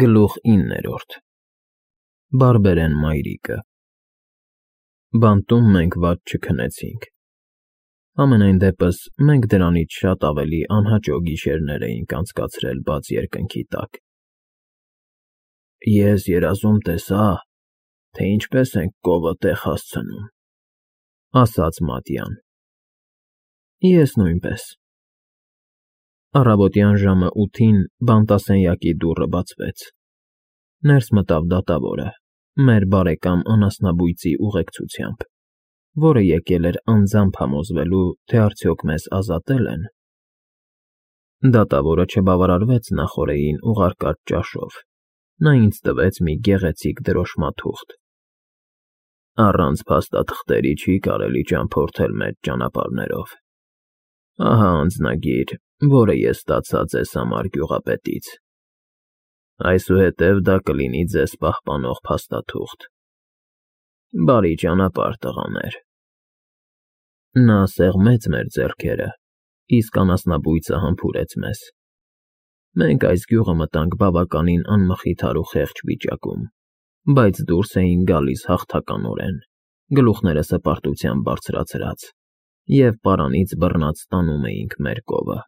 Գլուխ 9 Բարբերեն մայրիկը Բանտում մենք վատ չքնեցինք, համենայն դեպս մենք դրանից շատ ավելի անհաճո գիշերներ էինք անցկացրել բաց երկնքի տակ։ Ես երազում տեսա, թե ինչպես ենք կովը տեղ հասցնում, ասաց Մատյան։ Ես նույնպես։ Առավոտյան ժամը 8-ին բանտասենյակի դուռը բացվեց։ Ներս մտավ դատավորը, մեր բարեկամ անասնաբույծի ուղեկցությամբ, որը եկել էր անձամբ համոզվելու, թե արդյոք մեզ ազատել են։ Դատավորը չբավարարվեց նախօրեին ուղարկած ճաշով, նա ինձ տվեց մի գեղեցիկ դրոշմաթուղթ։ Առանց փաստաթղթերի չի կարելի ճամփորդել մեծ ճանապարհներով։ Ահա անձնագիր, որը ես ստացա ձեզ համար գյուղապետից։ Այսուհետև դա կլինի ձեզ պահպանող փաստաթուղթ։ Բարի ճանապարհ, տղաներ։ Նա սեղմեց մեր ձեռքերը, իսկ անասնաբույծը համբուրեց մեզ։ Մենք այս գյուղը մտանք բավականին անմխիթար ու խեղճ վիճակում, բայց դուրս էինք գալիս հաղթականորեն, գլուխները սպարտությամբ բարձրացրած, և պարանից բռնած տանում էինք մեր կովը։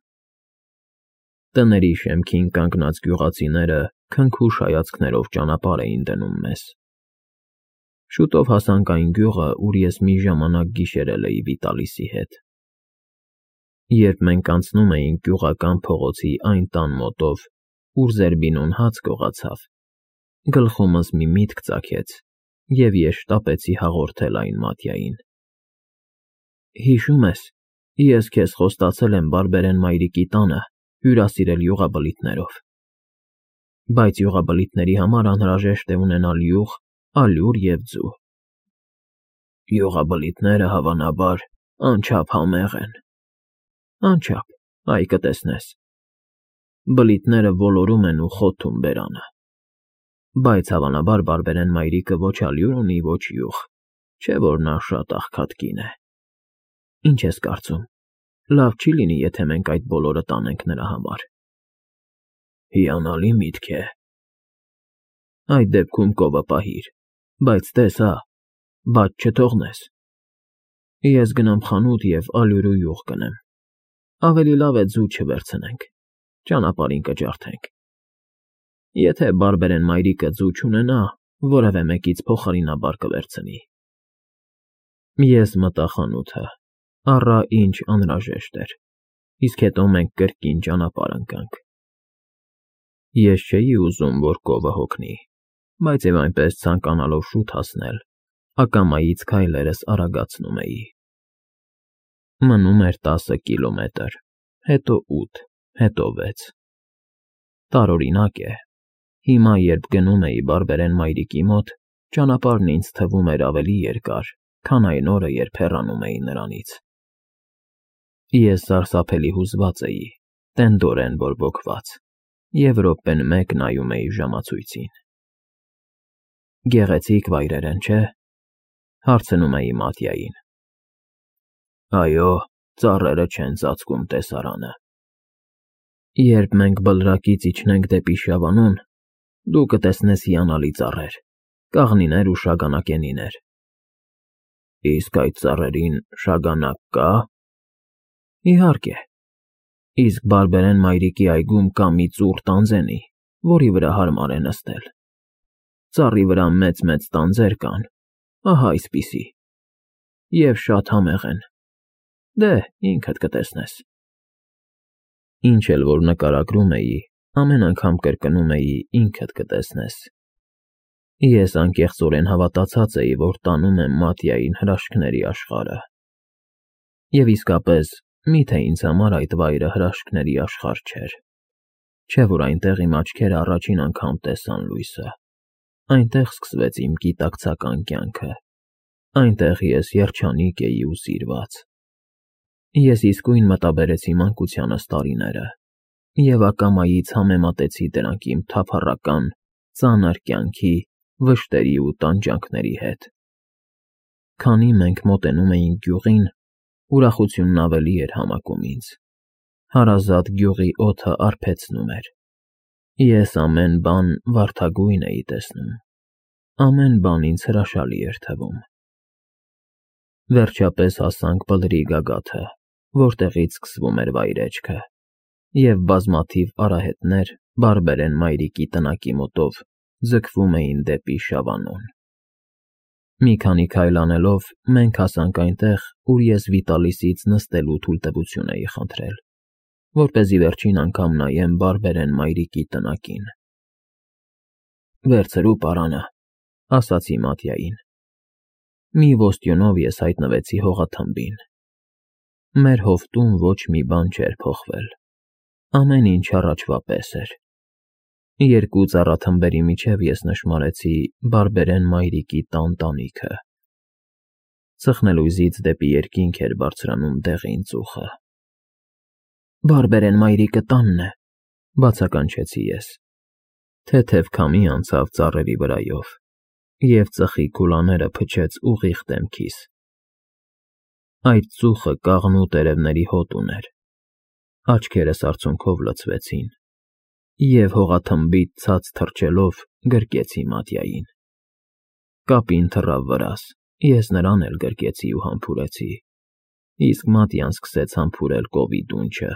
Տների շեմքին կանգնած գյուղացիները քնքուշ հայացքներով ճանապարհ էին դնում մեզ։ Շուտով հասանք այն գյուղը, ուր ես մի ժամանակ գիշերել էի Վիտալիսի հետ։ Երբ մենք անցնում էինք գյուղական փողոցի այն տան մոտով, ուր Զերբինոն հաց գողացավ, գլխումս մի միտք ծագեց, և ես շտապեցի հաղորդել այն Մատյային։ Հիշում ես, ես քեզ խոստացել եմ Բարբերեն մայրիկի տանը հյուրասիրել յուղաբլիթներով, բայց յուղաբլիթների համար անհրաժեշտ է ունենալ յուղ, ալյուր և ձու։ Յուղաբլիթները, հավանաբար, անչափ համեղ են։ Անչափ, այ կտեսնես։ Բլիթները ոլորում են ու խոթում բերանը։ Բայց հավանաբար Բարբերեն մայրիկը ոչ ալյուր ունի, ոչ յուղ, չէ՞ որ նա շատ աղքատ կին է։ Ինչ ես կարծում, լավ չի լինի, եթե մենք այդ բոլորը տանենք նրա համար։ Հիանալի միտք է։ Այդ դեպքում կովը պահիր, բայց տես հա, բաց չթողնես։ Ես գնամ խանութ և ալյուր ու յուղ գնեմ։ Ավելի լավ է ձու չվերցնենք, ճանապարհին կջարդենք։ Եթե Բարբերեն մայրիկը ձու չունենա, որևէ մեկից փոխարինաբար կվերցնի։ Ես մտա խանութը, առա ինչ անհրաժեշտ էր, իսկ հետո մենք կրկին ճանապարհ ընկանք։ Ես չէի ուզում, որ կովը հոգնի, բայց և այնպես ցանկանալով շուտ հասնել, ակամայից քայլերս արագացնում էի։ Մնում էր 10 կիլոմետր, հետո 8, հետո 6։ Տարօրինակ է, հիմա, երբ գնում էի Բարբերեն մայրիկի մոտ, ճանապարհն ինձ թվում էր ավելի երկար, քան այն օրը, երբ հեռանում էի նրանից։ Ես սարսափելի հուզված էի, տենդորեն բորբոքված, և րոպեն մեկ նայում էի ժամացույցին։ Գեղեցիկ վայրեր են, չէ՞, հարցնում էի Մատյային։ Այո, ծառերը չեն ծածկում տեսարանը։ Երբ մենք բլրակից իջնենք դեպի Շավանուն, դու կտեսնես հիանալի ծառեր, կաղնիներ ու շագանակենիներ։ Իսկ այդ ծառերին շագանակ կա՞։ Իհարկե։ Իսկ Բարբերեն մայրիկի այգում կա մի ծուռ տանձենի, որի վրա հարմար է նստել։ Ծառի վրա մեծ տանձեր կան, ահա այսպիսի, և շատ համեղ են։ Դե, ինքդ կտեսնես։ Ինչ էլ որ նկարագրում էի, ամեն անգամ կրկնում էի ինքդ կտեսնես։ Ես անկեղծորեն հավատացած էի, որ տանում եմ Մատյային հրաշքների աշխարհը։ Եվ իսկապես, միթե ինձ համար այդ վայրը հրաշքների աշխարհ չէր։ Չէ՞ որ այնտեղ իմ աչքերը առաջին անգամ տեսան լույսը։ Այնտեղ սկսվեց իմ գիտակցական կյանքը։ Այնտեղ ես երջանիկ էի ու սիրված։ Ես իսկույն մտաբերեցի մանկությանս տարիները և ակամայից համեմատեցի դրանք իմ թափառական, ծանր կյանքի, վշտերի ու տանջանքների հետ։ Քանի մենք մոտենում էինք գյուղին, ուրախությունն ավելի էր համակում ինձ։ Հարազատ գյուղի օդը արբեցնում էր։ Ես ամեն բան վարդագույն էի տեսնում, ամեն բան ինձ հրաշալի էր թվում։ Վերջապես հասանք բլրի գագաթը, որտեղից սկսվում էր վայրեջքը, և բազմաթիվ արահետներ բարբերեն մայրիկի տնակի մոտով ձգվում էին դեպի Շավանուն։ Մի քանի քայլ անելով մենք հասանք այնտեղ, ուր ես Վիտալիսից նստելու թույլտվություն էի խնդրել, որպեսզի վերջին անգամ նայեմ բարբերեն մայրիկի տնակին։ «Վերցրու պարանը», ասացի Մատյային։ Մի ոստյունով ես հայտնվեցի հողաթմբին։ Մեր հովտում ոչ մի բան չէր փոխվել, ամեն ինչ առաջվա պես էր։ Երկու ծառաթմբերի միջև ես նշմարեցի բարբերեն մայրիկի տան տանիքը։ Ծխնելույզից դեպի երկինք էր բարձրանում դեղին ծուխը։ «Բարբերեն մայրիկը տանն է», բացականչեցի ես։ Թեթև քամի անցավ ծառերի վրայով, և ծխի քուլաները փչեց ուղիղ դեմքիս։ Այդ ծուխը կաղնու տերևների հոտ ուներ։ Աչքերս արցունքով լցվեցին, և հողաթմբից ցած թռչելով գրկեցի Մատյային։ Կապին թռավ վրաս, ես նրան էլ գրկեցի ու համբուրեցի, իսկ Մատյան սկսեց համբուրել կովի դունչը։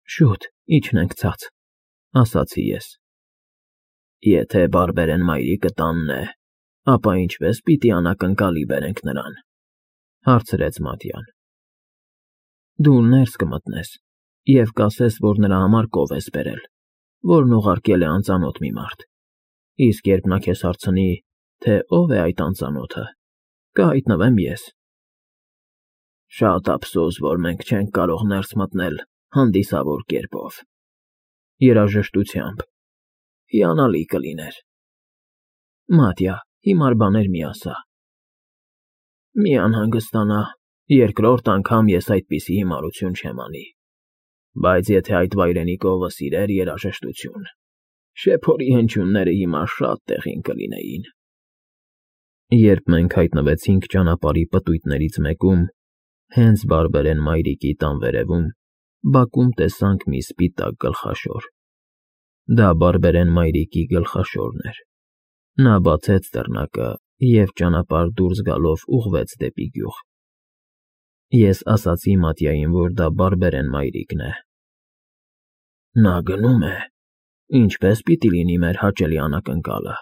«Շուտ իջնենք ցած», ասացի ես։ «Եթե բարբերեն մայրիկը տանն է, ապա ինչպես պիտի անակնկալի բերենք նրան», հարցրեց Մատյան։ «Դու ներս կմտնես և կասես, որ նրա համար կով ես բերել, որն ուղարկել է անծանոթ մի մարդ, իսկ երբ նա քեզ հարցնի, թե ով է այդ անծանոթը, կհայտնվեմ ես»։ «Շատ ափսոս, որ մենք չենք կարող ներս մտնել հանդիսավոր կերպով, երաժշտությամբ, հիանալի կլիներ»։ «Մատյա, հիմար բաներ մի ասա»։ «Մի անհանգստանա, երկրորդ անգամ ես այդպիսի հիմարություն չեմ անի, բայց եթե այդ վայրենի կովը սիրեր երաժշտություն, շեփորի հնչյունները հիմա շատ տեղին կլինեին»։ Երբ մենք հայտնվեցինք ճանապարհի պտույտներից մեկում, հենց բարբերեն մայրիկի տան վերևում, բակում տեսանք մի սպիտակ գլխաշոր։ Դա բարբերեն մայրիկի գլխաշորն էր։ Նա բացեց դռնակը և ճանապարհ դուրս գալով ուղղվեց դեպի գյուղ։ Ես ասացի Մատյային, որ դա բարբերեն մայրիկն է։ «Նա գնում է, ինչպե՞ս պիտի լինի մեր հաճելի անակնկալը»,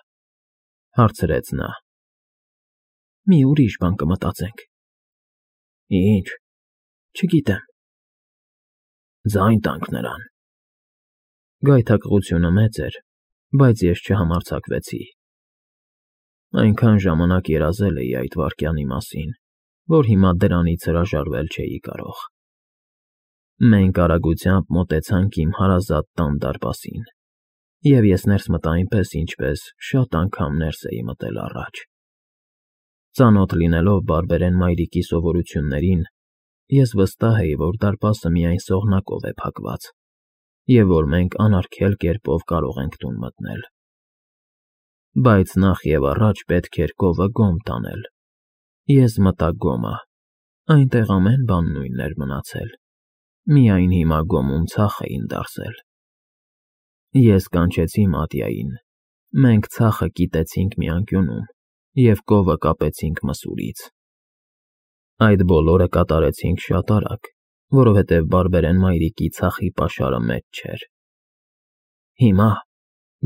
հարցրեց նա։ «Մի ուրիշ բան կմտածենք»։ «Ի՞նչ»։ «Չգիտեմ»։ «Ձայն տանք նրան»։ Գայթակղությունը մեծ էր, բայց ես չհամարձակվեցի։ Այնքան ժամանակ երազել էի այդ վայրկյանի մասին, որ հիմա դրանից հրաժարվել չէի կարող։ Մենք արագությամբ մոտեցանք իմ հարազատ տան դարպասին, և ես ներս մտա այնպես, ինչպես շատ անգամ ներս էի մտել առաջ։ Ծանոթ լինելով բարբերեն մայրիկի սովորություններին, ես վստահ էի, որ դարպասը միայն սողնակով է փակված, և որ մենք անարգել կերպով կարող ենք տուն մտնել։ Բայց նախ և առաջ պետք էր կովը գոմ տանել։ Ես մտա գոմը, այնտեղ ամեն բան նույնն էր մնացել, միայն հիմա գոմում ցախ էին դարսել։ Ես կանչեցի Մատյային, մենք ցախը կիտեցինք մի անկյունում և կովը կապեցինք մսուրից։ Այդ բոլորը կատարեցինք շատ արագ, որովհետև բարբերեն մայրիկի ցախի պաշարը մեծ չէր։ «Հիմա»,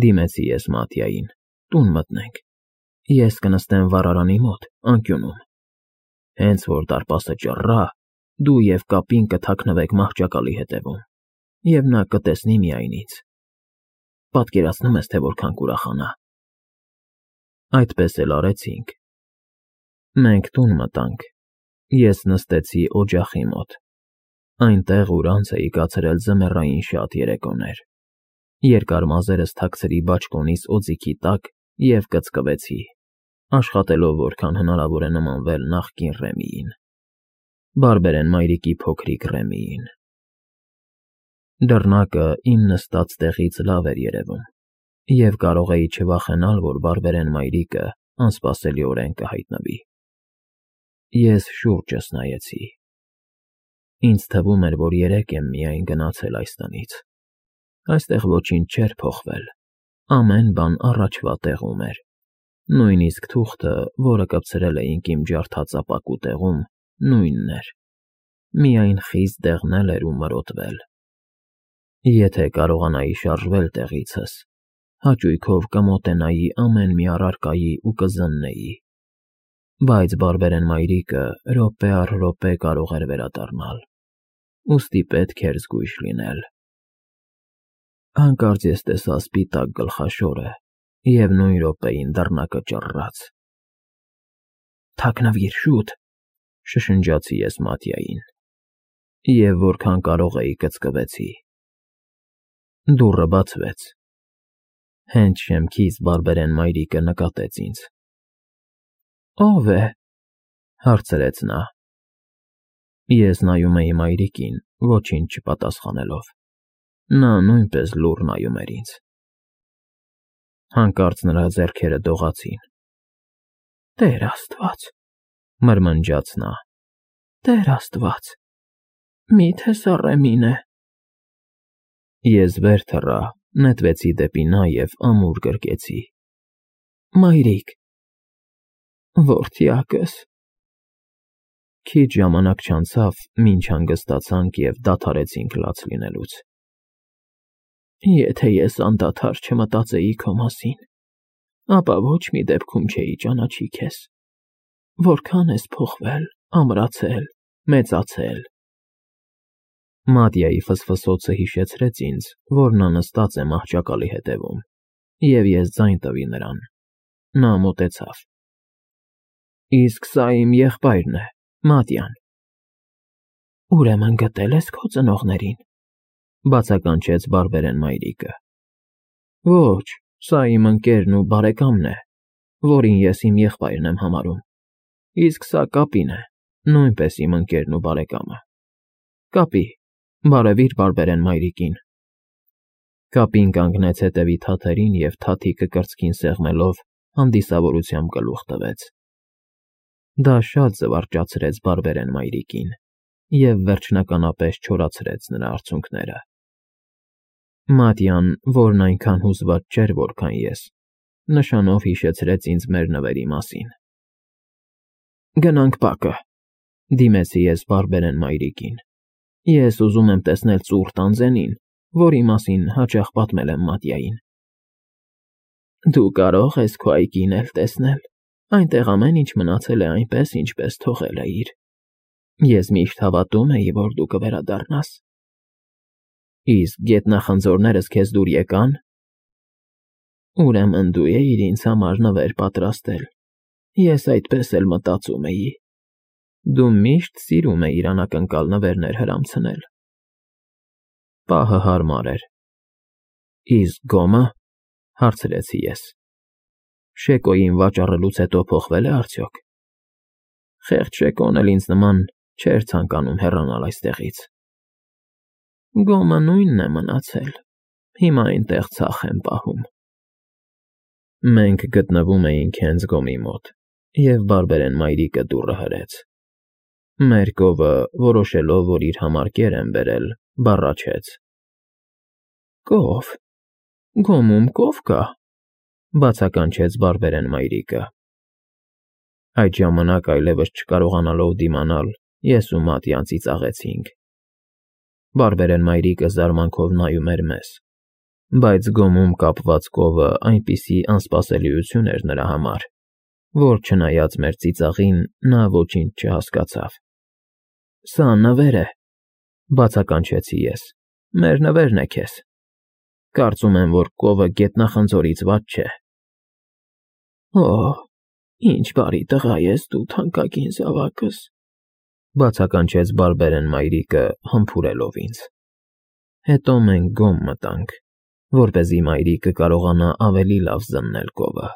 դիմեցի ես Մատյային, «տուն մտնենք։ Ես կնստեմ վառարանի մոտ, անկյունում։ Հենց որ դարպասը ճռռա, դու և կապին կթաքնվեք մահճակալի հետևում, և նա կտեսնի միայն ինձ։ Պատկերացնում ես, թե որքան կուրախանա»։ Այդպես էլ արեցինք։ Մենք տուն մտանք։ Ես նստեցի օջախի մոտ, այնտեղ, ուր անց էի կացրել ձմեռային շատ երեկոներ։ Երկար մազերս թաքցրի բաճկոնիս օձիքի տակ և կծկվեցի, աշխատելով որքան հնարավոր է նմանվել նախկին Ռեմիին, բարբերեն մայրիկի փոքրիկ Ռեմիին։ Դռնակը իմ նստած տեղից լավ էր երևում, և կարող էի չվախենալ, որ բարբերեն մայրիկը անսպասելիորեն կհայտնվի։ Ես շուրջս նայեցի։ Ինձ թվում էր, որ երեկ եմ միայն գնացել այս տնից, այստեղ ոչինչ չէր փոխվել, ամեն բան առաջվա տեղում էր, նույնիսկ թուղթը, որը կպցրել էինք իմ ջարդած ապակու տեղում, նույնն էր, միայն խիստ դեղնել էր ու մրոտվել։ Եթե կարողանայի շարժվել տեղիցս, հաճույքով կմոտենայի ամեն մի առարկայի ու կզննեի, բայց բարբերեն մայրիկը րոպե առ րոպե կարող էր վերադառնալ, ուստի պետք էր զգույշ լինել։ Հանկարծ ես տեսա սպիտակ գլխաշորը և նույն րոպեին դռնակը ճռռաց։ «Թաքնվիր, շուտ», շշնջացի ես Մատյային, և որքան կարող էի կծկվեցի։ Դուռը բացվեց։ Հենց շեմքից բարբերեն մայրիկը նկատեց ինձ։ «Ո՞վ է», հարցրեց նա։ Ես նայում էի մայրիկին, ոչինչ չպատասխանելով։ Նա նույնպես լուռ նայում էր ինձ։ Հանկարծ նրա ձեռքերը դողացին։ «Տեր Աստված», մրմնջաց նա։ «Տեր Աստված, մի՞թե սա Ռեմին է»։ Ես վեր թռա, նետվեցի դեպի նա և ամուր գրկեցի։ «Մայրիկ»։ «Որդյակս»։ Քիչ ժամանակ չանցավ, մինչ հանգստացանք և դադարեցինք լաց լինելուց։ Եթե ես անդադար չմտածեի քո մասին, ապա ոչ մի դեպքում չէի ճանաչի քեզ։ Որքան ես փոխվել, ամրացել, մեծացել։ Մատյայի ֆսֆսոցը հիշեցրեց ինձ, որ նա նստած է մահճակալի հետևում, և ես ձայն տվի նրան։ Նա մոտեցավ։ «Իսկ սա իմ եղբայրն է, Մատյան»։ «Ուրեմն գտել ես քո ծնողներին», բացականչեց բարբերեն մայրիկը։ «Ոչ, սա իմ ընկերն ու բարեկամն է, որին ես իմ եղբայրն եմ համարում, իսկ սա Կապին է, նույնպես իմ ընկերն ու բարեկամը։ Կապի, բարևիր բարբերեն մայրիկին»։ Կապին կանգնեց հետևի թաթերին և թաթիկը կրծքին սեղմելով հանդիսավորությամբ գլուխ տվեց։ Դա շատ զվարճացրեց բարբերեն մայրիկին և վերջնականապես չորացրեց նրա արցունքները։ Մատյան, որն այնքան հուզված չէր, որքան ես, նշանով հիշեցրեց ինձ մեր նվերի մասին։ «Գնանք բակը», դիմեցի ես բարբերեն մայրիկին։ «Ես ուզում եմ տեսնել ծուռ տանձենին, որի մասին հաճախ պատմել եմ Մատյային»։ «Դու կարող ես քո այգին էլ տեսնել, այնտեղ ամեն ինչ մնացել է այնպես, ինչպես թողել էիր։ Ես միշտ հավատում էի, որ դու կվերադառնաս»։ «Իսկ գետնախնձորներս քեզ դուր եկա՞ն»։ «Ուրեմն դու էիր ինձ համար նվեր պատրաստել, ես այդպես էլ մտածում էի։ Դու միշտ սիրում էիր անակնկալ նվերներ հրամցնել»։ Պահը հարմար էր։ «Իսկ գոմը»։ հարցրեցի ես։ «Շեկոյին վաճառելուց հետո փոխվե՞լ է արդյոք»։ Խեղճ Շեկոն էլ ինձ նման չէր ցանկանում հեռանալ այստեղից։ «Գոմը նույնն է մնացել, հիմա այնտեղ ցախ եմ պահում»։ Մենք գտնվում էինք հենց գոմի մոտ, և բարբերեն մայրիկը դուռը հրեց։ Մեր կովը, որոշելով, որ իր համար կեր եմ բերել, բառաչեց. «Կով, գոմում կով կա», բացականչեց բարբերեն մայրիկը։ Այդ ժամանակ այլևս չկարողանալով դիմանալ, ես ու Մատյան ծիծաղեցինք։ Բարբերեն մայրիկը զարմանքով նայում էր մեզ, բայց գոմում կապված կովը այնպիսի անսպասելիություն էր նրա համար, որ չնայած մեր ծիծաղին, նա ոչինչ չհասկացավ։ «Սա նվեր է», բացականչեցի ես, «մեր նվերն է քեզ։ Կարծում եմ, որ կովը գետնախնձորից վատ չէ»։ «Օ՜, ինչ բարի տղա ես դու, թանկագին զավակս», բացականչեց բարբերեն մայրիկը, համբուրելով ինձ։ Հետո մենք գոմ մտանք, որպեսզի մայրիկը կարողանա ավելի լավ զննել կովը։